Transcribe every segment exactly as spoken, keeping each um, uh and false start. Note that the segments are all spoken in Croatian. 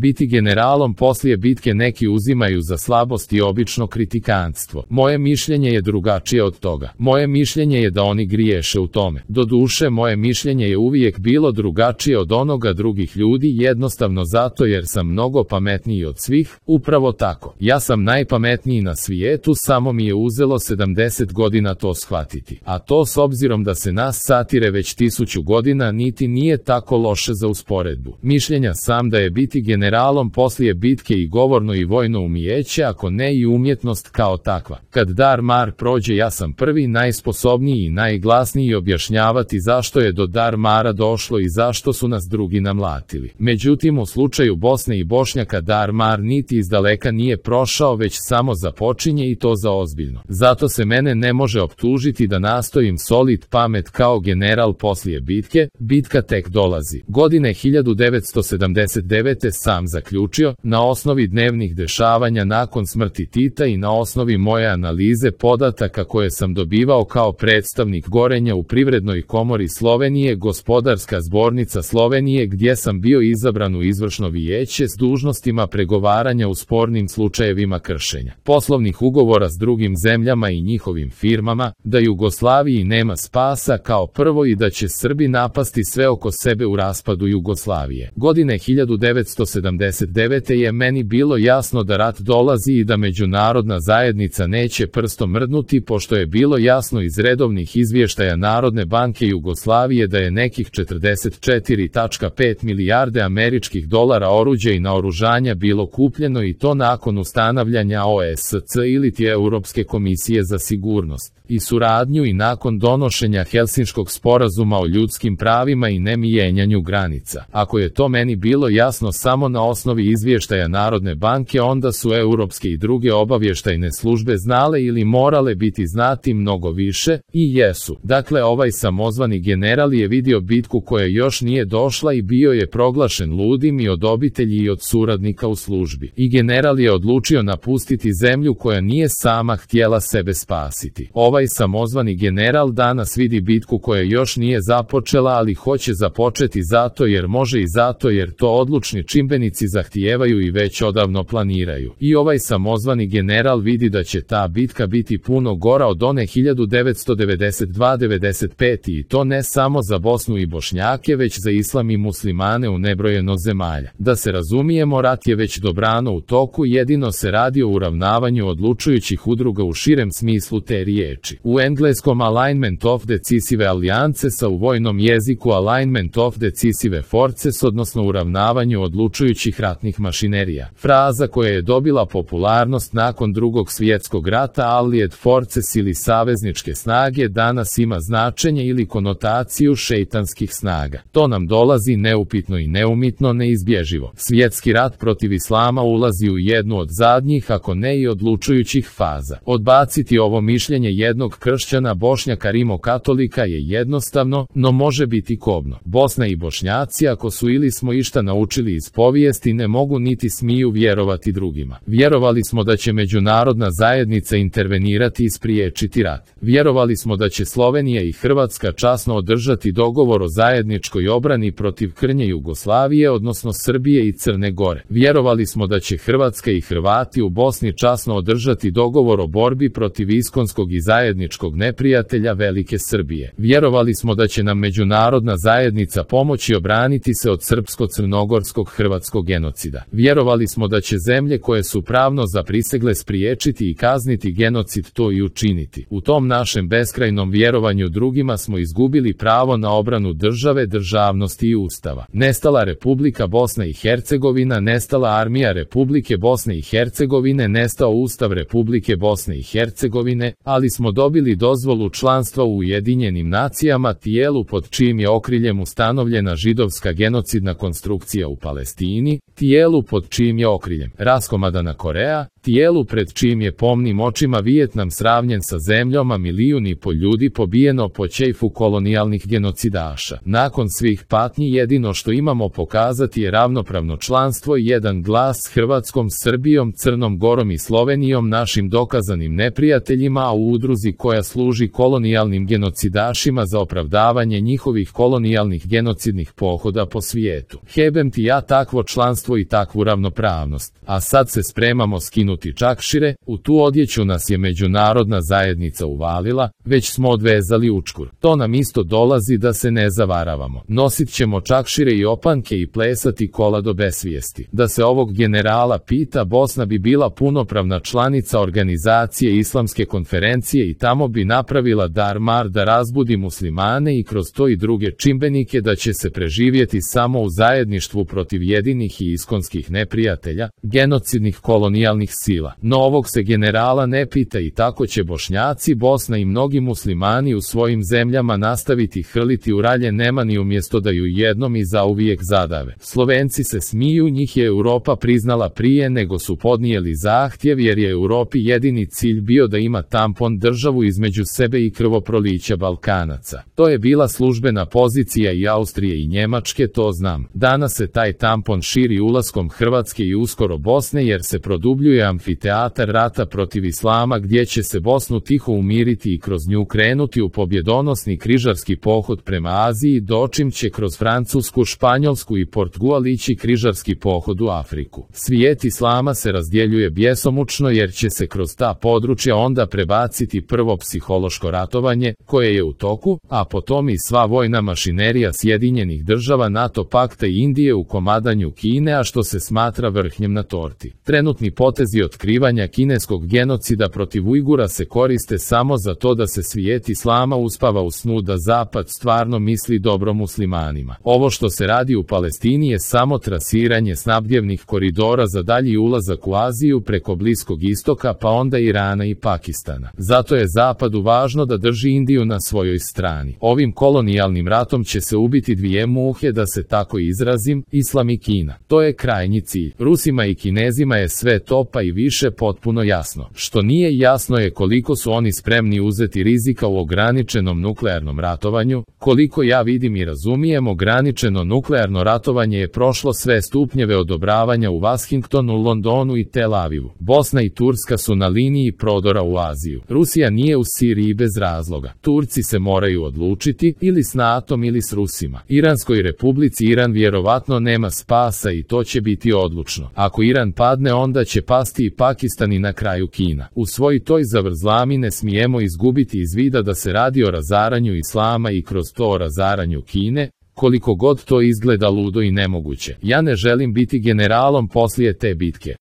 Biti generalom poslije bitke neki uzimaju za slabost i obično kritikantstvo. Moje mišljenje je drugačije od toga. Moje mišljenje je da oni griješe u tome. Doduše, moje mišljenje je uvijek bilo drugačije od onoga drugih ljudi, jednostavno zato jer sam mnogo pametniji od svih. Upravo tako. Ja sam najpametniji na svijetu, samo mi je uzelo sedamdeset godina to shvatiti. A to s obzirom da se nas satire već tisuću godina niti nije tako loše za usporedbu. Mišljenja sam da je biti generalom poslije bitke i govorno i vojno umijeće, ako ne i umjetnost kao takva. Kad dar mar prođe, ja sam prvi, najsposobniji i najglasniji objašnjavati zašto je do dar mara došlo i zašto su nas drugi namlatili. Međutim, u slučaju Bosne i Bošnjaka dar mar niti izdaleka nije prošao, već samo započinje i to za ozbiljno. Zato se mene ne može optužiti da nastojim solit pamet kao general poslije bitke. Bitka tek dolazi. Godine hiljadu devetsto sedamdeset devete sam zaključio, na osnovi dnevnih dešavanja nakon smrti Tita i na osnovi moje analize podataka koje sam dobivao kao predstavnik Gorenja u Privrednoj komori Slovenije, Gospodarska zbornica Slovenije, gdje sam bio izabran u izvršno vijeće s dužnostima pregovaranja u spornim slučajevima kršenja poslovnih ugovora s drugim zemljama i njihovim firmama, da Jugoslaviji nema spasa kao prvo i da će Srbi napasti sve oko sebe u raspadu Jugoslavije. Godine hiljadu devetsto sedamdeset devete je meni bilo jasno da rat dolazi i da međunarodna zajednica neće prstom mrdnuti, pošto je bilo jasno iz redovnih izvještaja Narodne banke Jugoslavije da je nekih četrdeset četiri zarez pet milijarde američkih dolara oruđa i naoružanja bilo kupljeno, i to nakon ustanovljanja O E S C ili ti Europske komisije za sigurnost i suradnju i nakon donošenja Helsinškog sporazuma o ljudskim pravima i nemijenjanju granica. Ako je to meni bilo jasno samo na osnovi izvještaja Narodne banke, onda su europske i druge obavještajne službe znale ili morale biti znati mnogo više, i jesu. Dakle, ovaj samozvani general je vidio bitku koja još nije došla i bio je proglašen ludim i od obitelji i od suradnika u službi. I general je odlučio napustiti zemlju koja nije sama htjela sebe spasiti. Ovaj samozvani general danas vidi bitku koja još nije započela, ali hoće započeti zato jer može i zato jer to odlučni čimbenici zahtijevaju i već odavno planiraju. I ovaj samozvani general vidi da će ta bitka biti puno gora od one hiljadu devetsto devedeset dva devedeset pet i to ne samo za Bosnu i Bošnjake, već za islam i muslimane u nebrojeno zemalja. Da se razumijemo, rat je već dobrano u toku, jedino se radi o uravnavanju odlučujućih udruga u širem smislu te riječi. U engleskom alignment of decisive alliances, a u vojnom jeziku alignment of decisive forces, odnosno uravnavanju odlučujućih ratnih mašinerija. Fraza koja je dobila popularnost nakon drugog svjetskog rata, allied forces ili savezničke snage, danas ima značenje ili konotaciju šeitanskih snaga. To nam dolazi neupitno i neumitno, neizbježivo. Svjetski rat protiv islama ulazi u jednu od zadnjih, ako ne i odlučujućih faza. Odbaciti ovo mišljenje jednog kršćana Bošnjaka rimokatolika je jednostavno, no može biti kobno. Bosna i Bošnjaci, ako su ili smo išta naučili iz povijesti, ne mogu niti smiju vjerovati drugima. Vjerovali smo da će međunarodna zajednica intervenirati i spriječiti rat. Vjerovali smo da će Slovenija i Hrvatska časno održati dogovor o zajedničkoj obrani protiv krnje Jugoslavije, odnosno Srbije i Crne Gore. Vjerovali smo da će Hrvatska i Hrvati u Bosni časno održati dogovor o borbi protiv iskonskog i zajedničkog neprijatelja Velike Srbije. Vjerovali smo da će nam međunarodna zajednica pomoći obraniti se od srpsko-crnogorskog hrvatskog genocida. Vjerovali smo da će zemlje koje su pravno zaprisegle spriječiti i kazniti genocid to i učiniti. U tom našem beskrajnom vjerovanju drugima smo izgubili pravo na obranu države, državnosti i ustava. Nestala Republika Bosna i Hercegovina, nestala Armija Republike Bosne i Hercegovine, nestao Ustav Republike Bosne i Hercegovine, ali smo dobili dozvolu članstva u Ujedinjenim nacijama, tijelu pod čijim je okriljem ustanovljena židovska genocidna konstrukcija u Palestini, tijelu pod čijim je okriljem raskomadana Koreja, tijelu pred čijim je pomnim očima Vijetnam sravnjen sa zemljom, a milijun i po ljudi pobijeno po ćejfu kolonijalnih genocidaša. Nakon svih patnji jedino što imamo pokazati je ravnopravno članstvo i jedan glas s Hrvatskom, Srbijom, Crnom Gorom i Slovenijom, našim dokazanim neprijateljima, a u udruzi koja služi kolonijalnim genocidašima za opravdavanje njihovih kolonijalnih genocidnih pohoda po svijetu. Hebem ti ja takvo članstvo i takvu ravnopravnost. A sad se spremamo skinuti čakšire, u tu odjeću nas je međunarodna zajednica uvalila, već smo odvezali učkur. To nam isto dolazi, da se ne zavaravamo. Nosit ćemo čakšire i opanke i plesati kola do besvijesti. Da se ovog generala pita, Bosna bi bila punopravna članica organizacije Islamske konferencije i tamo bi napravila dar-mar da razbudi muslimane i kroz to i druge čimbenike, da će se preživjeti samo u zajedništvu protiv jedinih i iskonskih neprijatelja, genocidnih kolonijalnih sila. No ovog se generala ne pita i tako će Bošnjaci, Bosna i mnogi muslimani u svojim zemljama nastaviti hrliti u ralje nemani umjesto da ju jednom i zauvijek zadave. Slovenci se smiju, njih je Europa priznala prije nego su podnijeli zahtjev, jer je Europi jedini cilj bio da ima tampon državu između sebe i krvoprolića Balkanaca. To je bila službena pozicija i Austrije i Njemačke, to znam. Danas se taj tampon širi ulaskom Hrvatske i uskoro Bosne, jer se produbljuje amfiteatar rata protiv islama, gdje će se Bosnu tiho umiriti i kroz nju krenuti u pobjedonosni križarski pohod prema Aziji, dočim će kroz Francusku, Španjolsku i Portugal ići križarski pohod u Afriku. Svijet islama se razdjeljuje bjesomučno, jer će se kroz ta područja onda prebaciti prvo psihološko ratovanje, koje je u toku, a potom i sva vojna mašinerija Sjedinjenih država, NATO pakta i Indije u komadanju Kine, a što se smatra vrhnjem na torti. Trenutni potezi otkrivanja kineskog genocida protiv Ujgura se koriste samo za to da se svijet islama uspava u snu da Zapad stvarno misli dobro muslimanima. Ovo što se radi u Palestini je samo trasiranje snabdjevnih koridora za dalji ulazak u Aziju preko Bliskog istoka, pa onda Irana i Pakistana. Zato je Zapadu važno da drži Indiju na svojoj strani. Ovim kolonijalnim ratom će se ubiti dvije muhe, da se tako izrazim, Islam i Kina. To je krajnji cilj. Rusima i Kinezima je sve to pa i više potpuno jasno. Što nije jasno je koliko su oni spremni uzeti rizika u ograničenom nuklearnom ratovanju. Koliko ja vidim i razumijem, ograničeno nuklearno ratovanje je prošlo sve stupnjeve odobravanja u Washingtonu, Londonu i Tel Avivu. Bosna i Turska su na liniji prodora u Aziju. Rusija nije u Siriji bez razloga. Turci se moraju odlučiti, ili s natom ili s Rusima. Iranskoj republici Iran vjerovatno nema spasa i to će biti odlučno. Ako Iran padne, onda će pasti i Pakistan i na kraju Kina. U svoj toj zavrzlami ne smijemo izgubiti iz vida da se radi o razaranju islama i kroz to o razaranju Kine, koliko god to izgleda ludo i nemoguće. Ja ne želim biti generalom poslije te bitke.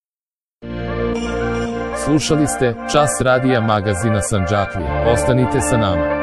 Slušali ste Čas radija magazina Sandžaklija. Ostanite sa nama.